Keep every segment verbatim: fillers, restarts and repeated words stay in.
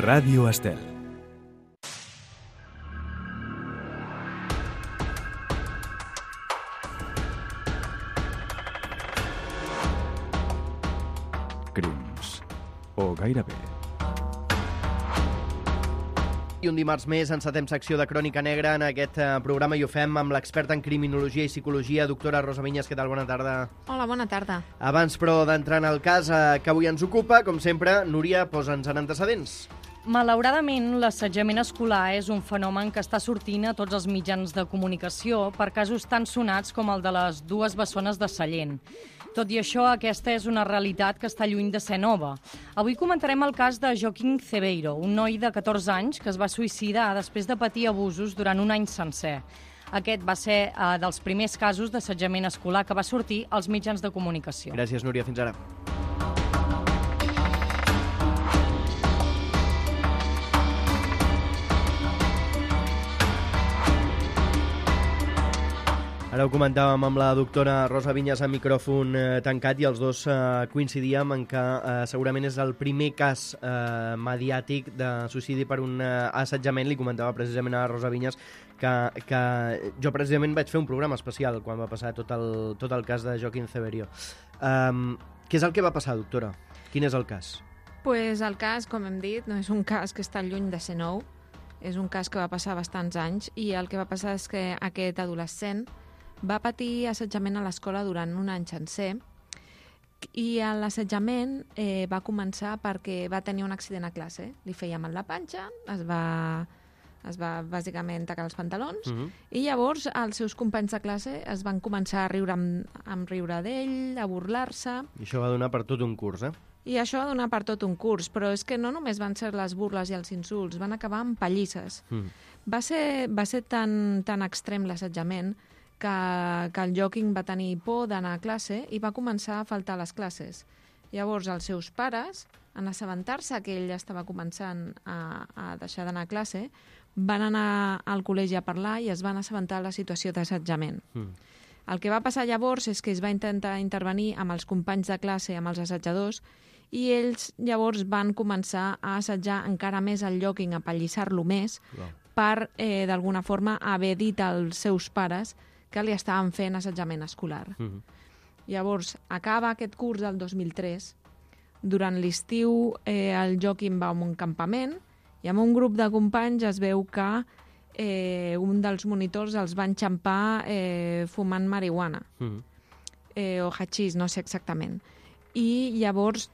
Ràdio Estel. Crims. O gairebé. I un dimarts més encetem secció de Crònica Negra en aquest eh, programa i ho fem amb l'experta en criminologia i psicologia, doctora Rosa Vinyes. Què tal? Bona tarda. Hola, bona tarda. Abans, però, d'entrar en el cas eh, que avui ens ocupa, com sempre, Núria, posa'ns en antecedents. Malauradament, l'assetjament escolar és un fenomen que està sortint a tots els mitjans de comunicació per casos tan sonats com el de les dues bessones de Sallent. Tot i això, aquesta és una realitat que està lluny de ser nova. Avui comentarem el cas de Joaquín Cebeiro, un noi de catorze anys que es va suïcidar després de patir abusos durant un any sencer. Aquest va ser eh, dels primers casos d'assetjament escolar que va sortir als mitjans de comunicació. Gràcies, Núria. Fins ara. Ara ho comentàvem amb la doctora Rosa Vinyes a micròfon eh, tancat i els dos eh, coincidíem en que eh, segurament és el primer cas eh, mediàtic de suïcidi per un eh, assetjament. Li comentava precisament a Rosa Vinyes que, que jo precisament vaig fer un programa especial quan va passar tot el, tot el cas de Joaquín Cebeiro. Um, què és el que va passar, doctora? Quin és el cas? Pues el cas, com hem dit, no és un cas que està lluny de ser nou, és un cas que va passar bastants anys i el que va passar és que aquest adolescent va patir assetjament a l'escola durant un any sencer i l'assetjament eh, va començar perquè va tenir un accident a classe. Li feia mal la panxa, es va, es va bàsicament tacar els pantalons Uh-huh. i llavors els seus companys de classe es van començar a riure amb, amb riure d'ell, a burlar-se. I això va donar per tot un curs, eh? I això va donar per tot un curs, però és que no només van ser les burles i els insults, van acabar amb pallisses. Mm. Va ser, va ser tan, tan extrem l'assetjament que, que el Joaquín va tenir por d'anar a classe i va començar a faltar a les classes. Llavors els seus pares, en assabentar-se que ell estava començant a, a deixar d'anar a classe, van anar al col·legi a parlar i es van assabentar de la situació d'assetjament. Mm. El que va passar llavors és que es va intentar intervenir amb els companys de classe, amb els assetjadors, i ells llavors van començar a assetjar encara més el Joaquín, a pallissar-lo més, Wow. per, eh, d'alguna forma, haver dit als seus pares que li estaven fent assetjament escolar. Mm-hmm. Llavors, acaba aquest curs del dos mil tres. Durant l'estiu, eh, el Joaquín va a un campament i amb un grup de companys es veu que eh, un dels monitors els va enxampar eh, fumant marihuana. Mm-hmm. Eh, o hachís, no sé exactament. I llavors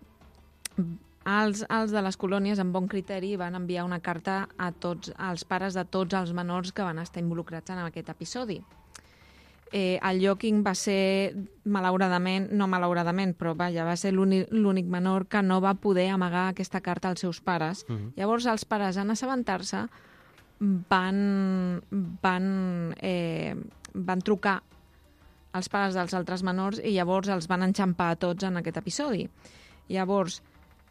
els, els de les colònies, amb bon criteri, van enviar una carta a tots als pares de tots els menors que van estar involucrats en aquest episodi. Eh, el Joaquín va ser, malauradament, no malauradament, però vaja, va ser l'únic menor que no va poder amagar aquesta carta als seus pares. Mhm. Llavors els pares, en assabentar-se, van, van, eh, van trucar als pares dels altres menors i llavors els van enxampar a tots en aquest episodi. Llavors,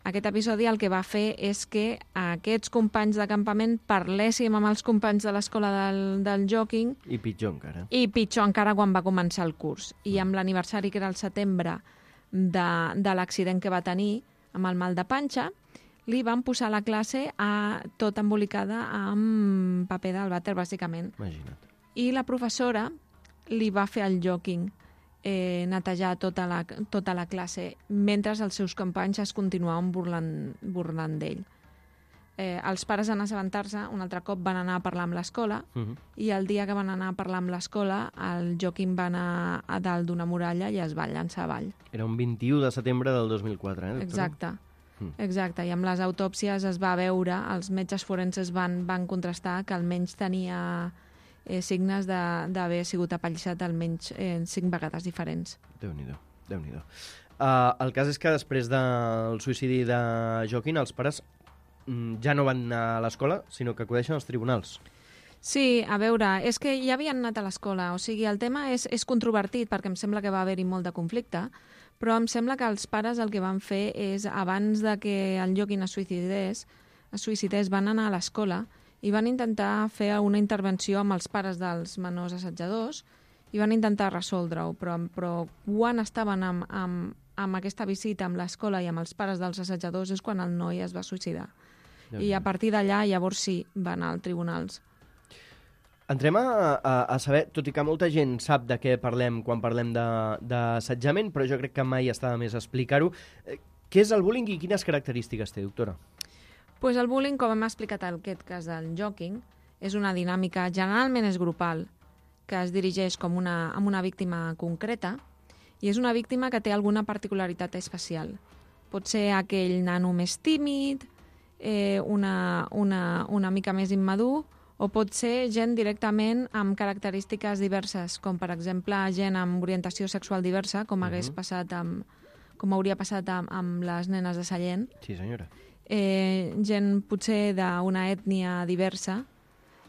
aquest episodi el que va fer és que aquests companys de campament parléssim amb els companys de l'escola del, del Joaquín I pitjor encara. i pitjor encara quan va començar el curs. I amb l'aniversari, que era el setembre, de, de l'accident que va tenir amb el mal de panxa, li van posar la classe a, tot embolicada amb paper del vàter, bàsicament. Imagina't. I la professora li va fer al Joaquín eh, netejar tota la, tota la classe mentre els seus companys es continuaven burlant, burlant d'ell. Eh, els pares, en assabentar-se, un altre cop van anar a parlar amb l'escola Mm-hmm. i el dia que van anar a parlar amb l'escola, el Joaquín va anar a dalt d'una muralla i es va llançar avall. Era un vint-i-u de setembre del dos mil quatre, eh, doctora? Exacte. Mm. Exacte, i amb les autòpsies es va veure, els metges forenses van, van contrastar que almenys tenia eh, signes de- d'haver sigut apallissat almenys eh, cinc vegades diferents. Déu-n'hi-do, Déu-n'hi-do. Uh, el cas és que després del suïcidi de Joaquín, els pares mm, ja no van anar a l'escola, sinó que acudeixen als tribunals. Sí, a veure, és que ja havien anat a l'escola, o sigui, el tema és, és controvertit perquè em sembla que va haver-hi molt de conflicte, però em sembla que els pares el que van fer és, abans de que el Joaquín es suïcidés, es suïcidés, van anar a l'escola i van intentar fer una intervenció amb els pares dels menors assetjadors i van intentar resoldre-ho, però, però quan estaven amb, amb, amb aquesta visita amb l'escola i amb els pares dels assetjadors és quan el noi es va suïcidar. I a partir d'allà, llavors sí, va anar als tribunals. Entrem a, a, a saber, tot i que molta gent sap de què parlem quan parlem d'assetjament, però jo crec que mai està de més explicar-ho. Què és el bullying i quines característiques té, doctora? Pues el bullying, com hem explicat en aquest cas del joking, és una dinàmica, generalment és grupal, que es dirigeix com una, amb una víctima concreta, i és una víctima que té alguna particularitat especial. Pot ser aquell nano més tímid, eh, una, una, una mica més immadur, o pot ser gent directament amb característiques diverses, com per exemple gent amb orientació sexual diversa, com, hagués uh-huh. passat amb, com hauria passat amb, amb les nenes de Sallent. Sí, senyora. Eh, gent potser d'una ètnia diversa,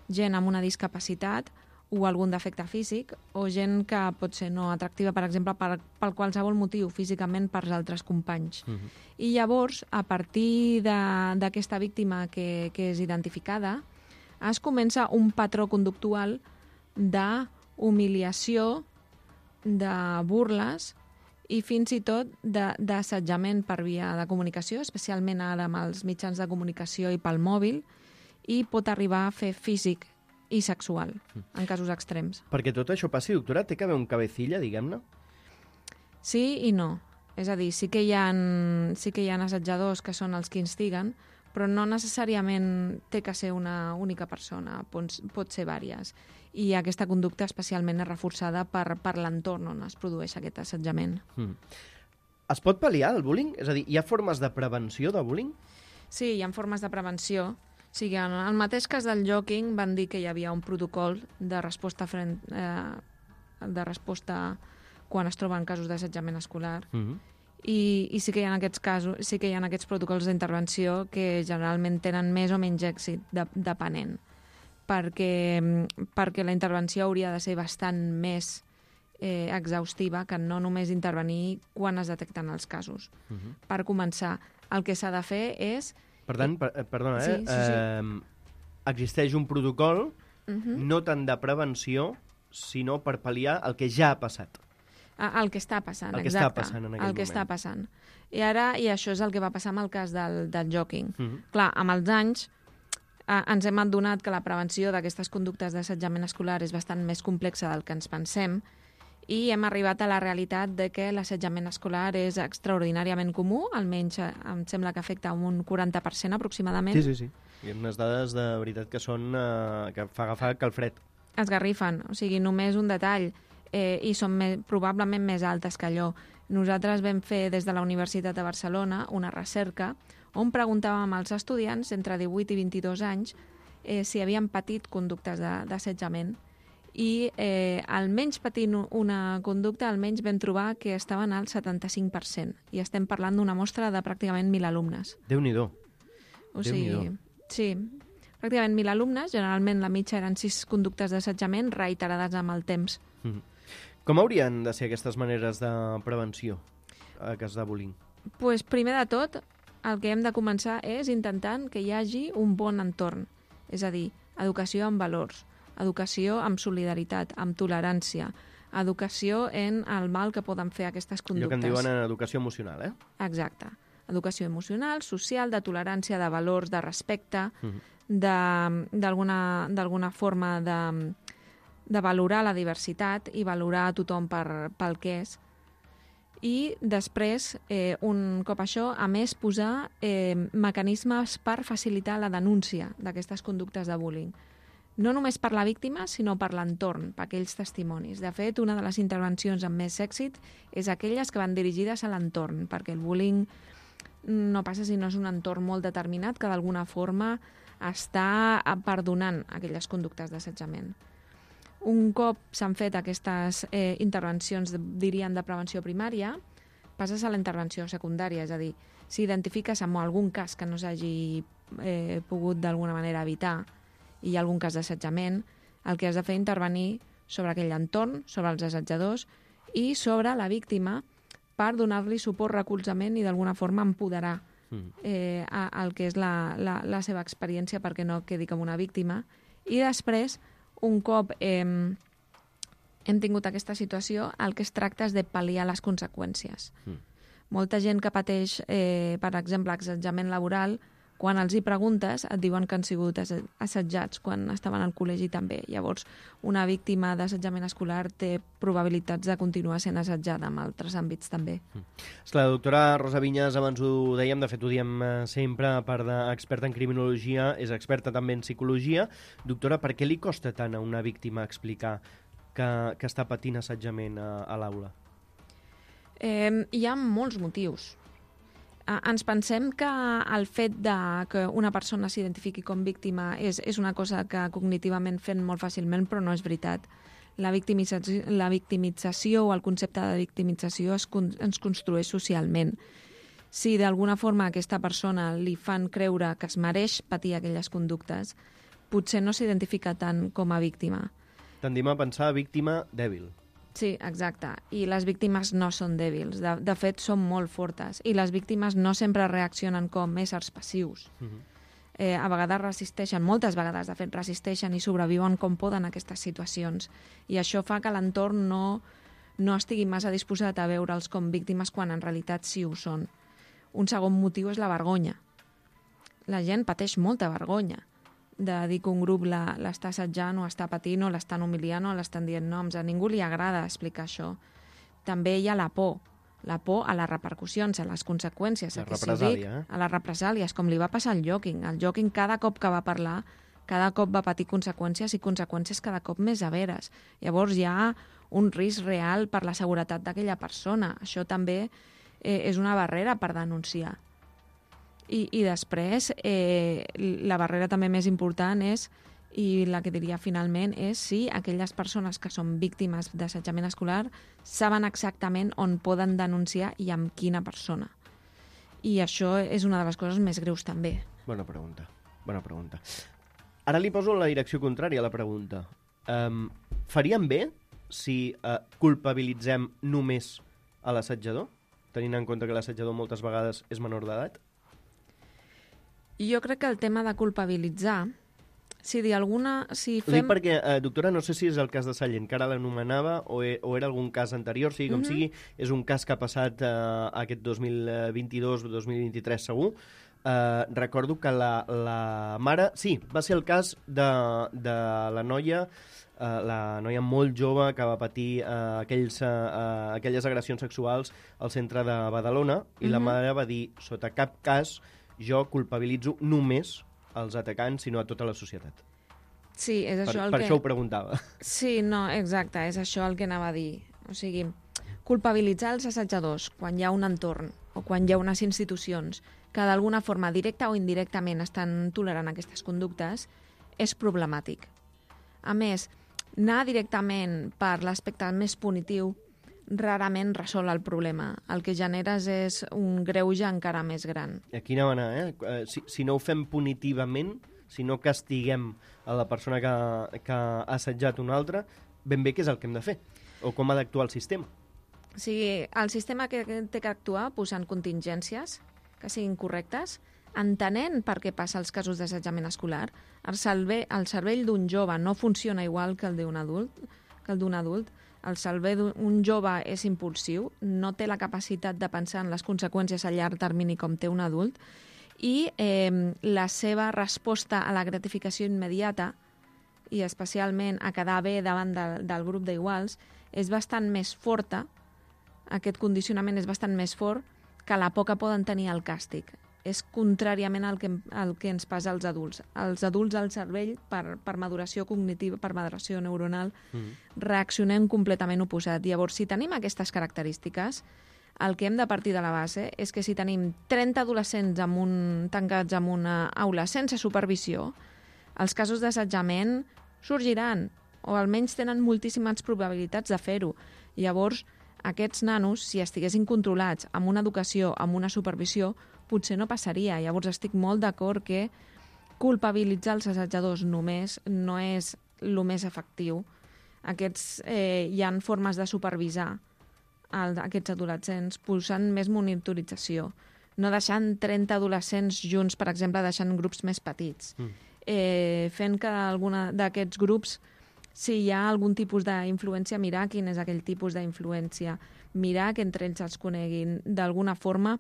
gent amb una discapacitat, o algun defecte físic, o gent que pot ser no atractiva, per exemple, per, per qualsevol motiu, físicament per als altres companys. Uh-huh. I llavors, a partir d'aquesta víctima que, que és identificada, es comença un patró conductual d'humiliació, de burles i fins i tot d'assetjament per via de comunicació, especialment ara amb els mitjans de comunicació i pel mòbil, i pot arribar a fer físic i sexual, en casos extrems. Perquè tot això passi, doctora, té que haver un cabecilla, diguem-ne? Sí i no. És a dir, sí que hi ha, sí que hi ha assetjadors que són els que instiguen, però no necessàriament té que ser una única persona, pot, pot ser vàries. I aquesta conducta especialment és reforçada per, per l'entorn on es produeix aquest assetjament. Mm. Es pot pal·liar el bullying? És a dir, hi ha formes de prevenció de bullying? Sí, hi ha formes de prevenció. O sigui, en el mateix cas del joking van dir que hi havia un protocol de resposta, frent, eh, de resposta quan es troben casos d'assetjament escolar. Mm-hmm. I, i sí que hi ha aquests casos, sí que hi ha aquests protocols d'intervenció que generalment tenen més o menys èxit, de, depenent, perquè, perquè la intervenció hauria de ser bastant més eh, exhaustiva que no només intervenir quan es detecten els casos. Mm-hmm. Per començar, el que s'ha de fer és... Per tant, per, perdona, eh? Sí, sí, sí. Eh, existeix un protocol uh-huh. no tant de prevenció, sinó per pal·liar el que ja ha passat. El que està passant, el que exacte. Està passant en aquell el que moment. està passant. I ara, i això és el que va passar amb el cas del, del joking. Uh-huh. Clar, amb els anys eh, ens hem adonat que la prevenció d'aquestes conductes d'assetjament escolar és bastant més complexa del que ens pensem, i hem arribat a la realitat de que l'assetjament escolar és extraordinàriament comú, almenys em sembla que afecta un quaranta per cent aproximadament. Sí, sí, sí. Hi ha unes dades de veritat que són eh, que fa agafar calfred. Esgarrifen, o sigui, només un detall, eh, i són més, probablement més altes que allò. Nosaltres vam fer des de la Universitat de Barcelona una recerca on preguntàvem als estudiants entre divuit i vint-i-dos anys eh, si havien patit conductes d'assetjament. I eh, almenys patint una conducta, almenys vam trobar que estaven al setanta-cinc per cent. I estem parlant d'una mostra de pràcticament mil alumnes. Déu-n'hi-do. O sigui, sí, pràcticament mil alumnes, generalment la mitja eren sis conductes d'assetjament reiterades amb el temps. Mm. Com haurien de ser aquestes maneres de prevenció a cas de bullying? Pues, primer de tot, el que hem de començar és intentant que hi hagi un bon entorn. És a dir, educació amb valors, educació amb solidaritat, amb tolerància, educació en el mal que poden fer aquestes conductes. Allò que en diuen en educació emocional, eh? Exacte. Educació emocional, social, de tolerància, de valors, de respecte, uh-huh. d'alguna forma de, de valorar la diversitat i valorar a tothom per, pel que és. I després, eh, un cop això, a més, posar eh, mecanismes per facilitar la denúncia d'aquestes conductes de bullying. No només per la víctima, sinó per l'entorn, per aquells testimonis. De fet, una de les intervencions amb més èxit és aquelles que van dirigides a l'entorn, perquè el bullying no passa si no és un entorn molt determinat que d'alguna forma està perdonant aquelles conductes d'assetjament. Un cop s'han fet aquestes eh, intervencions, diríem, de prevenció primària, passes a la intervenció secundària, és a dir, si identifiques amb algun cas que no s'hagi eh, pogut d'alguna manera evitar, i hi ha algun cas d'assetjament, el que has de fer és intervenir sobre aquell entorn, sobre els assetjadors i sobre la víctima per donar-li suport, recolzament i d'alguna forma empoderar eh, a, al que és la, la, la seva experiència perquè no quedi com una víctima. I després, un cop eh, hem tingut aquesta situació, el que es tracta és de pal·liar les conseqüències. Mm. Molta gent que pateix, eh, per exemple, assetjament laboral, quan els hi preguntes et diuen que han sigut assetjats quan estaven al col·legi també. Llavors, una víctima d'assetjament escolar té probabilitats de continuar sent assetjada en altres àmbits també. Mm. La doctora Rosa Vinyes, abans ho dèiem, de fet ho diem sempre, a part d'experta en criminologia, és experta també en psicologia. Doctora, per què li costa tant a una víctima explicar que, que està patint assetjament a, a l'aula? Eh, hi ha molts motius. Eh, ens pensem que el fet de que una persona s'identifiqui com víctima és, és una cosa que cognitivament fem molt fàcilment, però no és veritat. La victimització, la victimització o el concepte de victimització es, ens construeix socialment. Si d'alguna forma a aquesta persona li fan creure que es mereix patir aquelles conductes, potser no s'identifica tant com a víctima. Tendim a pensar víctima dèbil. Sí, exacte. I les víctimes no són dèbils. De, de fet, són molt fortes. I les víctimes no sempre reaccionen com éssers passius. Uh-huh. eh, a vegades resisteixen, moltes vegades, de fet, resisteixen i sobreviuen com poden a aquestes situacions. I això fa que l'entorn no, no estigui massa disposat a veure'ls com víctimes quan en realitat sí ho són. Un segon motiu és la vergonya. La gent pateix molta vergonya de dir que un grup l'està assetjant o està patint o l'estan humiliant o l'estan dient noms. A ningú li agrada explicar això. També hi ha la por. La por a les repercussions, a les conseqüències. La represàlia, eh? A les represàlies, com li va passar al Joaquín. El Joaquín, cada cop que va parlar, cada cop va patir conseqüències i conseqüències cada cop més severes. Llavors hi ha un risc real per la seguretat d'aquella persona. Això també eh, és una barrera per denunciar. I, i després, eh, la barrera també més important és, i la que diria finalment, és si aquelles persones que són víctimes d'assetjament escolar saben exactament on poden denunciar i amb quina persona. I això és una de les coses més greus també. Bona pregunta, bona pregunta. Ara li poso la direcció contrària a la pregunta. Um, faríem bé si uh, culpabilitzem només a l'assetjador, tenint en compte que l'assetjador moltes vegades és menor d'edat? Jo crec que el tema de culpabilitzar, si d'alguna... Si fem... Ho dic perquè, eh, doctora, no sé si és el cas de Sallent, que ara l'anomenava, o, e, o era algun cas anterior, sigui com mm-hmm. sigui, és un cas que ha passat eh, aquest dos mil vint-i-dos dos mil vint-i-tres segur. Eh, recordo que la, la mare... Sí, va ser el cas de, de la noia, eh, la noia molt jove que va patir eh, aquells, eh, aquelles agressions sexuals al centre de Badalona, i mm-hmm. la mare va dir, sota cap cas, jo culpabilitzo només els atacants, sinó a tota la societat. Sí, és això per, el per que... Per això ho preguntava. Sí, no, exacte, és això el que anava a dir. O sigui, culpabilitzar els assetjadors quan hi ha un entorn o quan hi ha unes institucions que d'alguna forma, directa o indirectament, estan tolerant aquestes conductes, és problemàtic. A més, anar directament per l'aspecte més punitiu rarament resol el problema. El que generes és un greuge encara més gran. Aquí anava a anar, eh? Si, si no ho fem punitivament, si no castiguem a la persona que, que ha assetjat una altra, ben bé què és el que hem de fer? O com ha d'actuar el sistema? O sigui, el sistema que té que actuar posant contingències que siguin correctes, entenent per què passa els casos d'assetjament escolar. El cervell, el cervell d'un jove no funciona igual que el d'un adult, que el d'un adult. El cervell d'un jove és impulsiu, no té la capacitat de pensar en les conseqüències a llarg termini com té un adult, i eh, la seva resposta a la gratificació immediata, i especialment a quedar bé davant de, del grup d'iguals, és bastant més forta, aquest condicionament és bastant més fort que la por que poden tenir al càstig. És contràriament al que, al que ens passa als adults. Els adults al cervell, per, per maduració cognitiva, per maduració neuronal, mm. reaccionem completament oposat. Llavors, si tenim aquestes característiques, el que hem de partir de la base és que si tenim trenta adolescents amb un, tancats en una aula sense supervisió, els casos d'assetjament sorgiran, o almenys tenen moltíssimes probabilitats de fer-ho. Llavors, aquests nanos, si estiguessin controlats amb una educació, amb una supervisió, potser no passaria. Llavors estic molt d'acord que culpabilitzar els assetjadors només no és el més efectiu. Aquests, eh, hi ha formes de supervisar el, aquests adolescents posant més monitorització, no deixant trenta adolescents junts, per exemple, deixant grups més petits, mm. eh, fent que alguna d'aquests grups, si hi ha algun tipus d'influència, mirar quin és aquell tipus d'influència, mirar que entre ells els coneguin. D'alguna forma,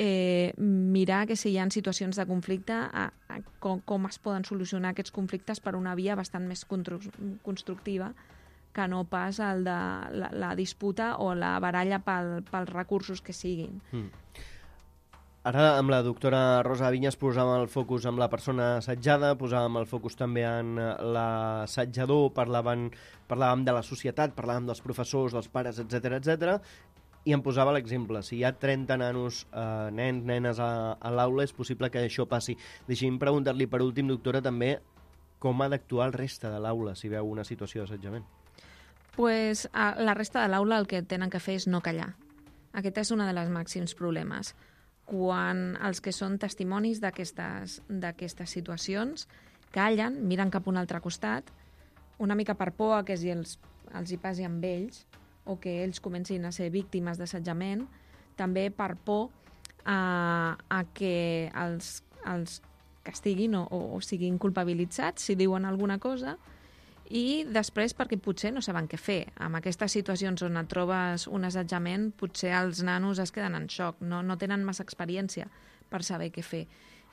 eh, mirar que si hi ha situacions de conflicte, a, a, com, com es poden solucionar aquests conflictes per una via bastant més constructiva que no pas el de la, la disputa o la baralla pel, pels recursos que siguin. Mm. Ara, amb la doctora Rosa Vinyes posàvem el focus en la persona assetjada, posàvem el focus també en l'assetjador, parlàvem, parlàvem de la societat, parlàvem dels professors, dels pares, etcètera, etcètera, i em posava l'exemple. Si hi ha trenta nanos, eh, nens, nenes a, a l'aula, és possible que això passi. Deixi'm preguntar-li per últim, doctora, també com ha d'actuar el reste de l'aula si veu una situació d'assetjament. Pues, a la resta de l'aula el que tenen que fer és no callar. Aquest és un dels màxims problemes. Quan els que són testimonis d'aquestes d'aquestes situacions callen, miren cap a un altre costat, una mica per por a que els, els hi passi amb ells o que ells comencin a ser víctimes d'assetjament, també per por a, a que els, els castiguin o, o siguin culpabilitzats si diuen alguna cosa, i després perquè potser no saben què fer. En aquestes situacions on et trobes un assetjament, potser els nanos es queden en xoc, no, no tenen massa experiència per saber què fer.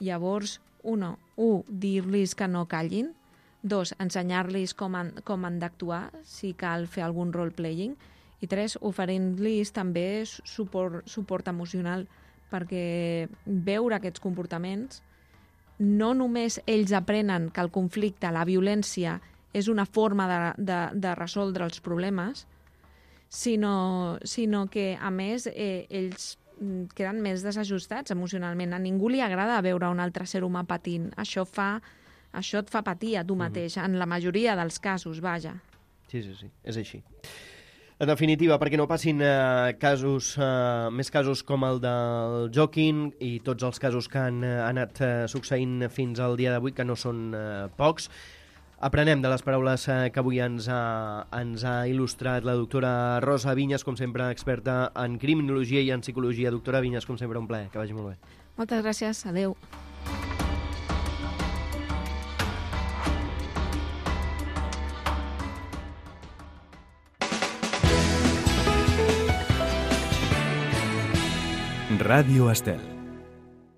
Llavors, uno, un, dir-los que no callin, dos, ensenyar-los com han, com han d'actuar, si cal fer algun role-playing, i tres, oferint-los també suport, suport emocional, perquè veure aquests comportaments, no només ells aprenen que el conflicte, la violència, és una forma de, de, de resoldre els problemes, sinó, sinó que, a més, eh, ells queden més desajustats emocionalment. A ningú li agrada veure un altre ser humà patint. Això, fa, això et fa patir a tu mateix, mm-hmm. en la majoria dels casos, vaja. Sí, sí, sí, és així. En definitiva, perquè no passin eh, casos, eh, més casos com el del Joaquín i tots els casos que han eh, anat eh, succeint fins al dia d'avui, que no són eh, pocs, aprenem de les paraules que avui ens ha, ens ha il·lustrat la doctora Rosa Vinyes, com sempre experta en criminologia i en psicologia. Doctora Vinyes, com sempre, un plaer. Que vagi molt bé. Moltes gràcies. Adéu. Ràdio Estel.